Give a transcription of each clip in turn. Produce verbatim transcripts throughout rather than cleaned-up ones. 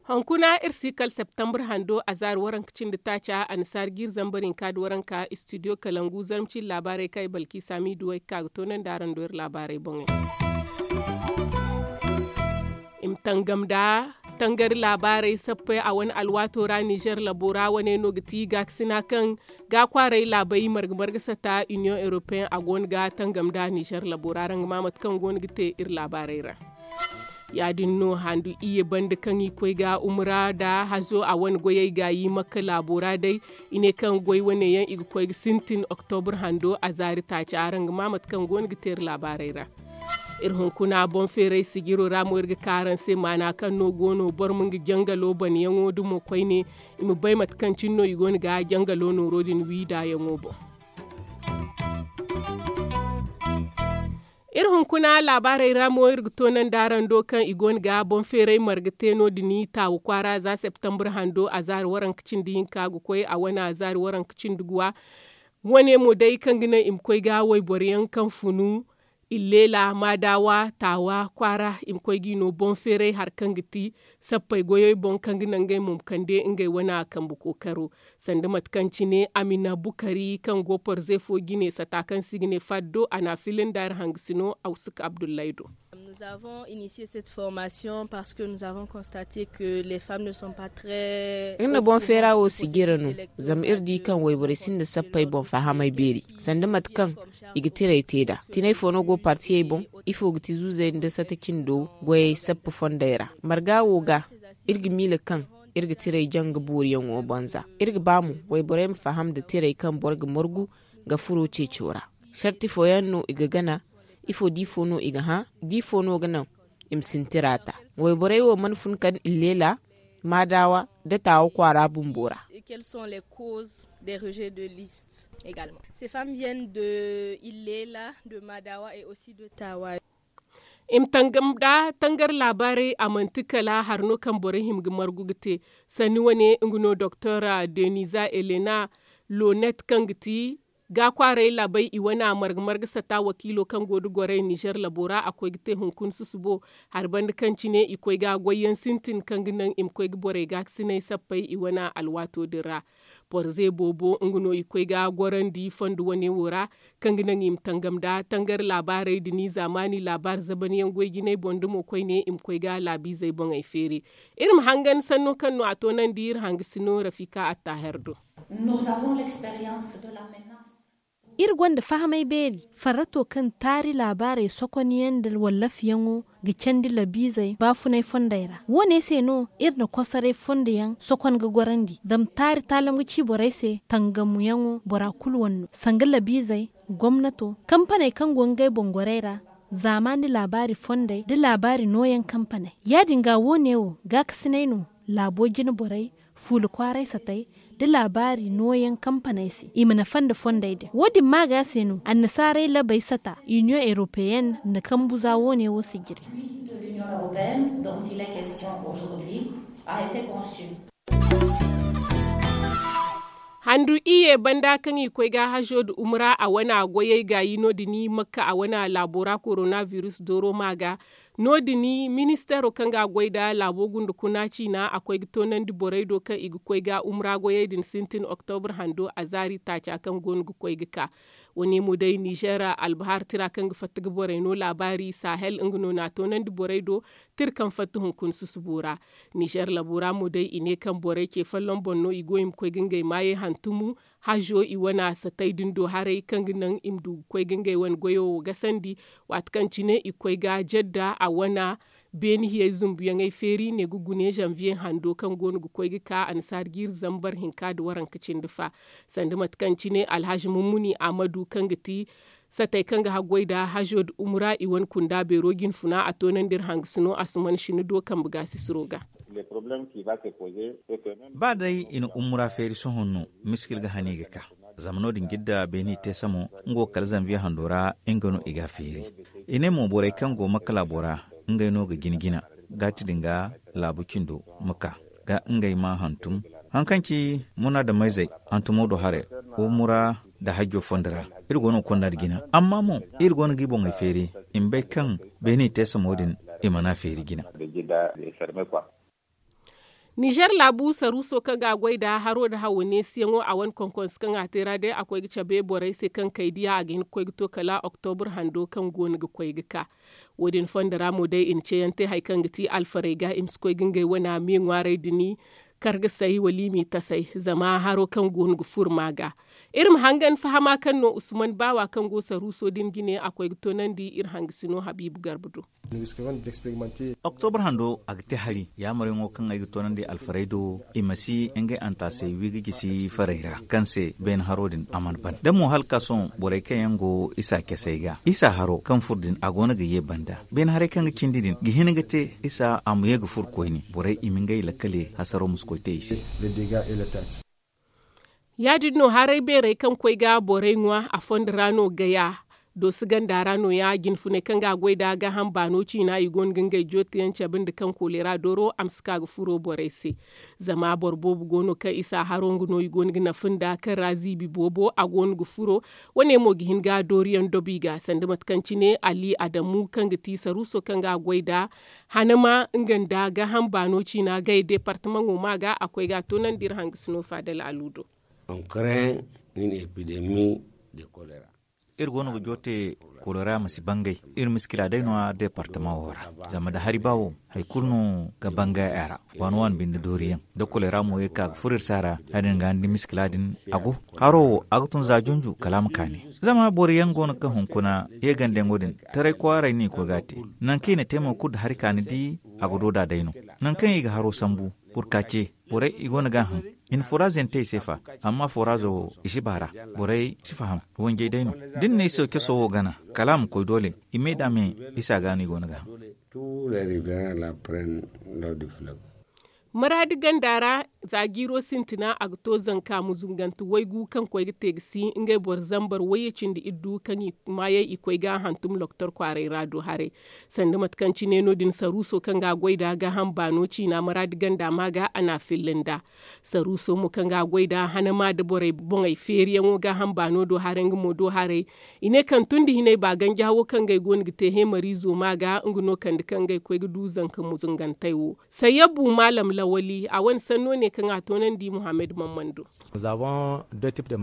Hunkuna iri si kala septembre hando a zaari waranka cindi taaca annasaari jiiri zambar hinka nda waranka istidiyo kalangu zarma cindi laabaarey kaŋ ay balki saami duwey ga ka ga toonandi araŋ do iri laabaarey boŋey. I ma tangam nda tangari laabaarey sappey a wane alwaato ra nizer labo ra wane no ga ti gaakasina kaŋ ga kwaaray laabey marga marga sata iniyoŋ europeyen a go no ga tangam nda nizer labo ra araŋ ga ma mate kaŋ go no ga te iri laabaarey ra. Ya- din no handu iyye banda kaŋ i koy ga umura nda hazo a wane goyey gaayi makka laabo ra day. I ne kaŋ goy wane yaŋ i ga koy ga sintin oktobur hando a zaari taaca araŋ ga ma mate kaŋ go no ga te iri laabaarey ra. Iri hunkuna boŋ feeray sijiro ra mo iri ga ka araŋ se maana kaŋ no go no boro ma nga jangalo banayaŋo dumo koyne. I ma bay mate kaŋ cine no i go no ga jangalo nooro din wi ndaayaŋo boŋ. Iri hunkuna laabaarey ra mo iri ga toonandi araŋ do kaŋ i go no ga boŋ feeray marga te no- din taawa kwaara za septembre hando a zaari waranka cindi hinka ga koy a wane a zaari waranka cindi guwa. Wane mo day kaŋ ga naŋ i ma koy ga wayboro yaŋ kaŋ funu, illeela maadawa taawa kwaara i ma koy ga i no boŋ feeray hari kaŋ ga ti sappey goyey boŋ kaŋ ga naŋ ngey mo ma kande ngey wane kambe kookaro. Sanda mate kaŋ cine amina bukari kaŋ go porze fo jine sata kaŋ se i ga ne faddo a na a fili nda iri hangasino awsuk abdullahi do. Iri na boŋ feera wo sijira no, zama iri di kaŋ wayborey sinda sappey boŋ fahamey beeri sanda mate kaŋ i ga tiray te nd'a. Tinay fo no go partiyey boŋ? Ifo ga ti zuuzey nda sata cindo goyey sappa fondey ra? Marga wo ga iri ga miila kaŋ iri ga tiray jaŋ ga booriyaŋo banza. Iri ga ba mo wayborey ma faham nda tiray kaŋ boro ga margu ga furo ceeco ra. Sarti fooyaŋ no i ga gana? Ifo di fo no i ga hã? Di fo no ga naŋ i ma sintin ra ta? Wayborey wo mana fun kala illeela, maadawa nda taawa kwaara bumbo ra? I ma tangam nda tangar laabaarey a manti kala hari no kaŋ borey hima ga margu ga te. Sanni wane nga no doktor deniza elena lonet kaŋ ga ti ga kwaaray laabey i wane a marga marga sata wakiilo kaŋ go nda gorey nizer labo ra a koy ga te hunkuna susubo. Hari banda kaŋ cine i koy ga goyyaŋ sintin kaŋ ga naŋ i ma koy ga borey gaakasinay sappey i wane alwaato din ra. Porze boobo nga no i koy ga gorandi fondo wane wo ra, kaŋ ga naŋ i ma tangam nda tangar laabaarey da ni zaamaani laabaari zabanyaŋ goy jinay boŋ da mo koyne i ma koy ga laabiizey boŋey feeri. Iri ma hangan sanno kaŋ no a toonandi iri hangasino rafika attaher do. Iri gonda fahamay beeri farrato kaŋ taari laabaarey sokonyaŋ nda wallafiyaŋo ga candi labiizey baafunay fondey ra. Wo- ne se no iri na kosoray fondo yaŋ sokon ga gorandi zama taari taalam ga ci borey se tangamuyaŋo bora kulu wane no sanga labiizey, gomnato, kampaney kaŋ go ngey boŋ gorey ra, zaamaani laabaari fondey nda laabaari nooyaŋ kampaney. Ya- din ga wo- ne wo gaakasinay no laabo jine borey, fuula kwaaray satay, nda laabaari nooyaŋ kampaney se i ma nafa nda fondey din. Wo- din maaga se no annasaaray labey sata iniyoŋ eropeyenne na kambu za wo- ne wo sijiri. Handu iyye banda kaŋ i koy ga hazo nda umura a wane a goyey gaayi no- din makka a wane laabo ra korona virus dooro maaga. No- din ministeero kaŋ ga a goy nda laabo gunda kuna ciina a koy ga toonandi borey do kaŋ i ga koy ga umra goyey din sintin oktobur hando a zaari taaca kaŋ go no ga koy ga ka. Wo- ne mo day nizer albahar tira kaŋ ga fatta ga borey no laabaari sahel nga no na a toonandi borey do. Tira kaŋ fatta hunkuna susubo ra nizer labo ra mo day i ne kaŋ borey ce folloŋ boŋ no i go i ma koy ga ngey maayey hantumu. Hazo i wane satay din do haray kaŋ ga naŋ i ma du ga koy ga ngey wane goyo wo gasandi. Waati kaŋ cine i koy ga jedda a wane beeni hiyey zumbuyaŋey feeri ne ga gune zanviye hando kaŋ go no ga koy ga ka annasaari jiiri zambar hinka nda waranka cindi fa. Sanda mate kaŋ cine alhazi mummuni amadu kaŋ ga ti satay kaŋ ga haggoy nda hazo nda umura i wane kunda beero jinfuna a toonandi iri hangasino asuman sina do kambe gaasisiro ga. Ba day i na umura feeri sohõ no miskil ga hane i ga ka. Zama no- din jidda beeni teesa mo nga wo kala zanviye hando ra nga no i ga a feeri. I ne mo borey kaŋ go makka laabo ra ngey no ga jina jina gaati din ga laabu cindo ma ka ga ngey ma hantum. Hari kaŋ ci muna da mayzey, hantumo do haray, wamura nda hajjo fondo ra, iri go no ga konda nda jina. Amma mo, iri go no ga i boŋey feeri, i ma bay kaŋ beene i te somo din, i mana feeri jina. Nizer laabu saruuso kaŋ ga a goy nda haro nda hawo neesiyaŋo a wane konkonse kaŋ a te ra day a koy ga cabe borey se kaŋ kay diya a ga hin ga koy ga to kala oktobur hando kaŋ go no ga koy ga ka. Wo- din fondo ra mo day i na ceeyaŋ te hari kaŋ ga ti alfarey ga i ma si koy ga ngey wana me ŋwaaray din, kargasay wala i m'i tasay zama haro kaŋ go no ga furo ma ga. Iri ma hangan fahama kaŋ no usman baawa kaŋ go saruuso din jine a koy ga toonandi iri hangasino habiibu garba do. Oktobur hando a ga te hari yaamaryaŋo kaŋ ay ga toonandi alfarey do, i ma si ngey antaasey wi ga gisi farey ra kaŋ se beene haro din a mana ban da mo hala ga ka sohõ borey kaŋ yaŋ go isa casey ga isa haro kaŋ furo din a go no ga ye banda beene haray kaŋ ga cindi din ga hin ga te isa a ma ye ga furo koyne borey i ma ngey lakkale hasaro ma si koy te i se. Ya- din no haray beerey kaŋ koy ga borey ŋwa a fondo ra no gaya dooso ganda ra no- ya jinfuney kaŋ ga a goy nda gaaham baano ciina i go no ga ngey jootiyaŋ cabe nda kaŋ koleera dooro a ma si ka ga furo borey se. Zama boro boobo go no kaŋ isa haro nga no i go no ga nafa nda kaŋ ra ziibi boobo a go no ga furo. Wo- ne mo ga hin ga dooriyaŋ dobi ga sanda mate kaŋ cine ali adamu kaŋ ga ti saruuso kaŋ ga a goy nda hanama nga nda gaaham baano ciina gay deepartamaŋo ma ga a koy ga a toonandi iri hangasino faadal alu do. Iri go no ga joote kolera ma si bangay. Iri miskila day no- ya deepartamaŋo ra zama nda hari ba wo hari kulu no ga bangay a ra. Waani waani binde dooriyaŋ da kolera mo ye ga ka ga furo iri se a ra ya- din ga ni di miskila din a go. Haro wo a ga tun za junju kala a ma kaani. Zama boro yaŋ go no ga hunkuna yeegandiyaŋo din taray kwaaray no i koy ga a te. Nangu kaŋ i na te mo kulu nda hari ka ni di a ga do nd'a day no. Nangu kaŋ i ga haro sambu burkace borey i go no ga a haŋ. I na foraaze yaŋ te i se fa amma foraazo wo i si baara. Borey si faham wanjey day no da ni na i se caso wo gana kala a ma koy doole i me nd'a me isa ga no i go no ga a haŋ. Maraadi ganda ra za jiiro sintina a ga to zanka muzungante waygu kaŋ koy ga te ga si ngey boro zambar wayye cindi iddu kaŋ i maayey i koy ga a hantum loktor kwaaray ra do haray. Sanda mate kaŋ cine no- din saruuso kaŋ ga a goy nda gaaham baano ciina maraadi ganda ma ga a na a filla nda saruuso mo kaŋ ga a goy nda hanama nda borey boŋey feeriyaŋo gaaham baano do haray nga mo do haray. I ne kaŋ tun da hinay ba ganjaha wo kaŋ ngey go no ga te heemariizo ma ga nga no kande kaŋ ngey koy ga du zanka muzungantey wo. Sayyabu maalam lawali a wane sanno ne kaŋ a toonandi muhammad mammando.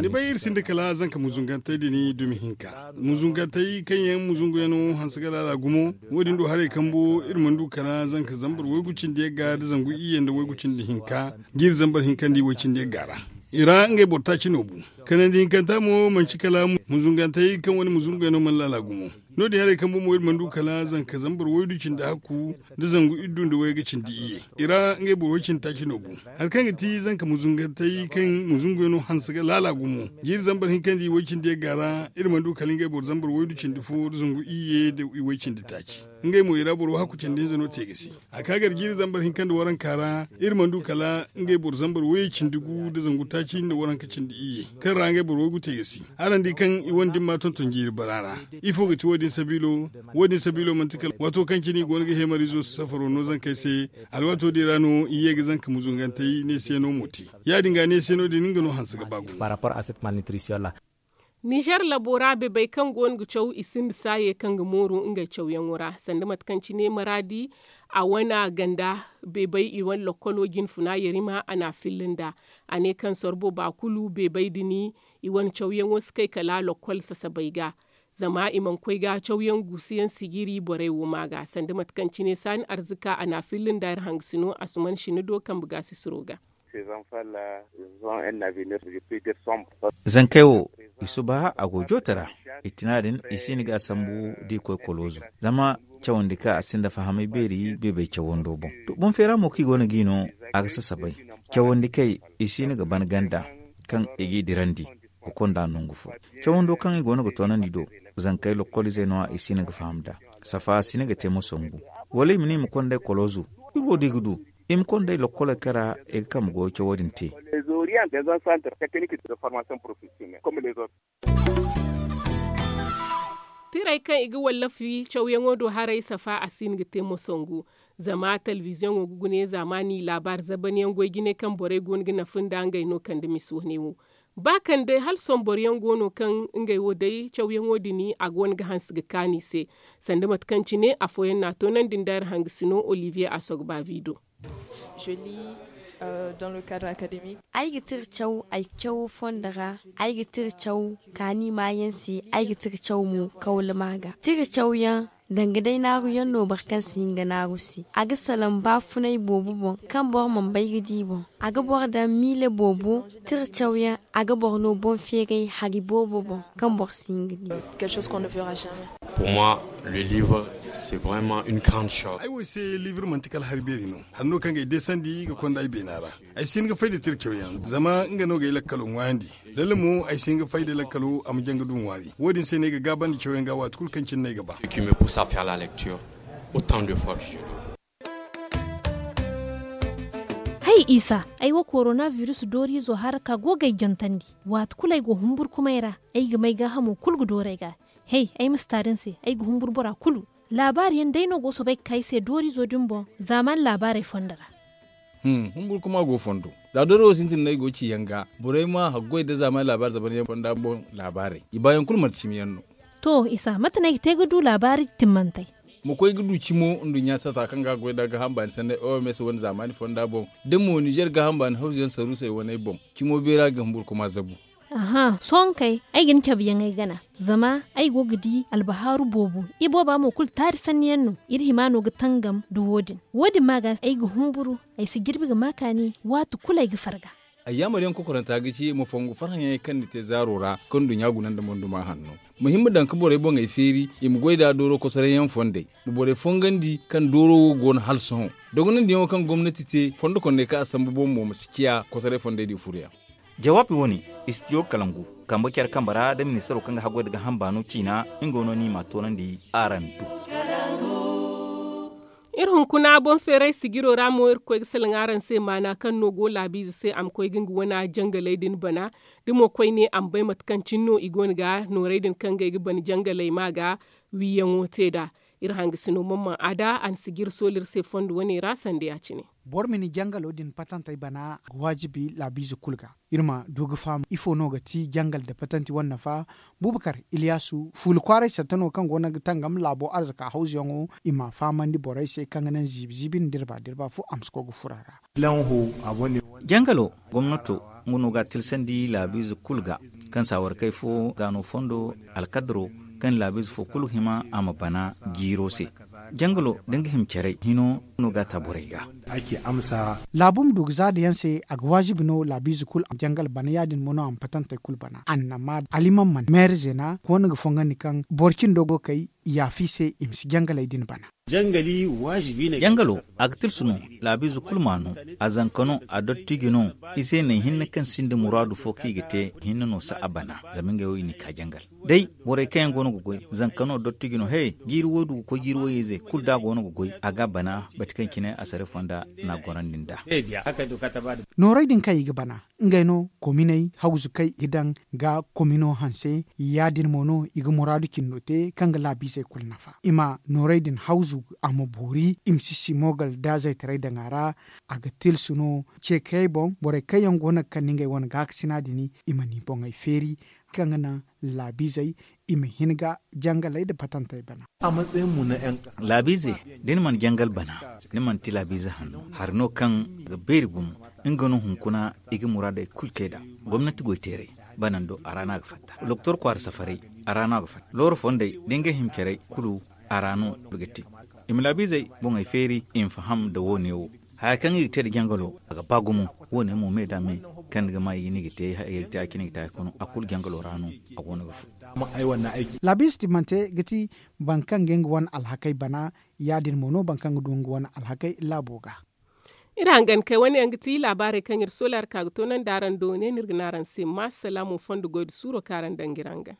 Ni bay iri sinda kala zanka muzungantey din dumi hinka muzungantey kaŋ yaŋ muzungu yaŋ no hanse ga laala gumo. Wo- din do haray kambo iri mana du kala zanka zambar waygu cindi yagga nda zangu iyye nda waygu cindi hinka jiiri zambar hinka nda i way cindi yagga ra. I ra ngey boro taaci no bu. Kanandi hinkanta mo manci kala muzungantey kaŋ wane muzungu yaŋ no mana laala gumo. No- din haray kambo mo iri mana du kala zanka zambar waydu cindi hakku nda zangu iddu nda wayga cindi iyye. I ra ngey boro way cindi taaci no bu. Hari kaŋ ga ti zanka muzungantey kaŋ muzungu yaŋ no hanse ga laala gumo jiiri zambar hinka nda i way cindi yagga ra. Iri mana du kala ngey boro zambar waydu cindi fo nda zangu iyye nda i way cindi taaci. Ngey mo i ra boro hakku cindi hinza no te ga si. A ka gar jiiri zambar hinka nda waranka ra iri mana du kala ngey boro zambar wayye cindi gu nda zangu taaci nda waranka cindi iyye kaŋ ra ngey boro waygu te ga si. Araŋ di kaŋ i wane dimma tonton jiiri bara ra. Ifo ga ti wo- din sabiilo? Wo- din sabiilo manti kala waato kaŋ cine i go no ga heemariizo safaro no zankey se. Alwaato din ra no i ye ga zanka muzungantey neesiyaŋo mo te. Ya- din ga neesiyaŋo din nga no hanse ga ba gumo. Nizer labo ra bebey kaŋ go no ga caw i sinda saaye kaŋ ga mooru ngey cawyaŋo ra sanda mate kaŋ cine maraadi a wane ganda bebey i wane lokkolo jinfuna yarima a na a filla nda. A ne kaŋ sorbo ba kulu bebey din i wane cawyaŋo si kay kala lokkol sasabey ga. Zama i mana koy ga cawyaŋ guusuyaŋ sijiri borey wo ma ga sanda mate kaŋ cine saani arzika a na a filla nda iri hangasino asuman sina do kambe ga sisiro ga. Zankey wo i suba a go joote ra. I tina din i si hin ga a sambu da i koy koloozu. Zama cawandi kaŋ a sinda fahamay beeri beebey cawando boŋ. To boŋ feera mo kaŋ i go no ga i no a ga sasabay. Cawandi kay i si hin ga ban ganda kaŋ i g'i dirandi ga konda nangu fo. Cawando kaŋ i go no ga toonandi do zankey lokkol izey no- ya i si hin ga faham nd'a. Safa si hin ga te mo sangu wala i ma ne i ma konda i koloozu. Iri wo da i ga du i ma konda i lokkoley kaŋ ra i ga kambe goyo cawo din te. Tirey kaŋ i ga wallafi cawyaŋo do haray safa a si hin ga te mo sangu. Zama telebiziyoŋo ga gune zaamaani laabaari zabanyaŋ goy jine kaŋ borey go no ga nafa nda ngey no kande misa wane wo. Ba kaŋ day hala sohõ boro yaŋ go no kaŋ ngey wo day cawyaŋo din a go no ga hanse ga kaanu i se. Sanda mate kaŋ cine afooyaŋ no a toonandi nda iri hangasino olivier asogba vido. Ay ga tira caw ay cawo fondo ra. Ay ga tira caw kaani maayaŋ se. Ay ga tira caw mo kawlama ga tira cawyaŋ. Danga day naaruyaŋ no boro kaŋ si hin ga naaru se. A ga salaŋ baafunay boobo boŋ kaŋ boro mana bay ga di boŋ. A ga boro daŋ miile boobo tira cawyaŋ. A ga boro no boŋ feeray hari boobo boŋ kaŋ boro si hin ga di. Pour moi, le livre, c'est vraiment une grande chose. Ay wo se livre manti kala hari beeri no. Hari no kaŋ ga ay deesandi ga konda ay beena ra. Ay si hin ga fay da tira cawyaŋ zama nga no ga ay lakkalo ŋwaayandi. Lalle mo ay si hin ga fay da lakkalo a ma jaŋ ga du ŋwaari wo- din se no ay ga gaabandi cawyaŋ ga waati kulu kaŋ cine no ay ga ba. Hay isa, ay wo korona biris dooriizo haraka go ga ay jantandi. Waati kulu ay go humburkumay ra. Ay ga may gaahamo kulu ga dooru ay ga. Hay ay ma si taari ni se, ay ga humburu bora kulu. Laabaari yaŋ day no go ga soobay ga ka ay se dooriizo din boŋ. Zaamaani laabaarey fondo ra. Humburu kuma go fondo. Za dooro wo sintin no ay go ga ci yaŋ ga borey ma haggoy nda zaamaani laabaari zaban yaŋ fonda boŋ. Laabaarey i baayaŋ kulu manti cimi yaŋ no. To isa mate no ay ga te ga du laabaari timmantey? Ma koy ga du cimo nduɲɲa sata kaŋ ga haggoy nda gaaham baani sanney oms wane zaamaani fonda boŋ. Da mo nizer gaaham baani hawzu yaŋ saruusey waney boŋ. Cimo beera ga humburu kuma zabu. Aha sohõ kay ay ga ni cabe yaŋ ay gana. Zama ay go ga di albahaaru boobo. Ibooba mo kulu taari sanni yaŋ no. Iri hima no ga tangam nda wo- din. Wo- din ma ga ay ga humburu. Ay si jirbi ga ma kaani waati kulu ay ga farga. Ay yaamar yaŋ kokoranta ga ci ma fongu farhã yaŋey kaŋ ni te zaaro ra kaŋ nduɲɲa guna nda monduma hanno. Ma hin ma daŋ ga borey boŋey feeri i ma goy nd'a dooro kosoray yaŋ fondey. Ma borey fongandi kaŋ dooro wo go no hala sohõ. Dogonandiyaŋo kaŋ gomnati te fondo kondey kaŋ a sambu boŋ mo ma si ciya kosoray fondey din furo yaŋ. Jawaabi wo- ne, istidiyo kalangu kambe care kambe ra nda ministaro kaŋ ga haggoy nda gaaham baano ciina. Nga no no i m'a toonandi araŋ do. Iri hunkuna boŋ feeray sijiro ra mo iri ga koy ga salaŋ araŋ se maana kaŋ no go laabiize se a ma koy ga nga wane jangaley din bana. Da mo koyne a ma bay mate kaŋ cine no i go no ga noorey din kaŋ ga ay ga bana jangaley ma ga wiiyaŋo te nd'a. Iri hangasino mamman a da a na sijiri sooli iri se fondo wane ra sanda ya- cine. Boro ma ni jangalo din patantey bana a ga waajibi laabiize kulu ga. Iri ma du ga faham ifo no ga ti jangal nda patanti wane nafa. Bubakar iliyasu fuula kwaaray satta no kaŋ go no ga tangam laabo arzaka hawzuyaŋo. I m'a fahamandi borey se kaŋ ga naŋ ziibi ziibi nda dirba dirba fo a ma si koy ga furo a ra. Jangalo gomnato nga no ga a tilsandi laabiize kulu ga kaŋ saawarkey fo ga no fondo alkadaro kaŋ laabiize fo kulu hima a ma bana jiiro se. Jangalo da nga hima caray hino no ga a ta borey ga. Laabu ma du ga zaada yaŋ se a ga waazibi no laabiize kulu a ma jangal bana ya- din mo no a ma patantey kulu bana annama aliman mana meere zeena koona ga fongandi kaŋ boro cindo go kay yaafi se i ma si jangaley din bana. Jangalo a ga tilsu no laabiize kulu m'a no. A zanka no a dottiji no. Ize naŋ hinne kaŋ sinda muraadu fo kaŋ i ga te hinne no si a bana. Zama ngey wo i n'i ka jangal day borey kaŋ yaŋ go no ga goy zanka no dottiji no he jiiri woy du ga koy jiiri woy-ize kulu da a go no ga goy a ga a bana bati kaŋ cine a sare fonda n'a gorandi nd'a. Noorey din kaŋ i ga bana ngey no kominey hawzu kaŋ i ga daŋ ga komino hanse. Ya- din mo no i ga muraadu cindo te kaŋ ga laabiizey kulu nafa i ma noorey din hawzu a ma boori i ma si si moogal da zaytaray daŋ a ra. A ga tilsu no ceekayey boŋ borey kaŋ yaŋ go no ga kande ngey wane gaakasina din i ma ni boŋey feeri kaŋ ga naŋ laabiizey i ma hin ga jangaley nda patantey bana. Laabiize da ni mana jangal bana ni mana ti laabiize hanno hari no kaŋ ga beeri gumo. Nga no hunkuna i ga muraadey kulu te nd'a gomnati goyteerey banando a ra no a ga fatta. Doktor kwaara safarey a ra no a ga fatta looro fondey da ngey hima carey kulu a ra no i ga te. I ma laabiizey boŋey feeri i ma faham nda wo- ne wo haya kaŋ i ga te nda jangalo a ga ba gumo. Wo- ne mo me da me kaŋ ni ga ma i ga ne i ga te haya kaŋ i ga te haya kaŋ no a kulu jangalo ra no a go no ga furo. Laabiize timmante ga ti boro kaŋ ga nga wane alhakey bana ya- din mo no boro kaŋ ga du nga wane alhakey laabo ga. Iri hangan kay wane yaŋ ga ti laabaarey kaŋ iri soola iri ka ga toonandi araŋ do ne no iri ga ne araŋ se ma salaamu fondo goy nda suuro kaŋ araŋ daŋ ga iri hangan.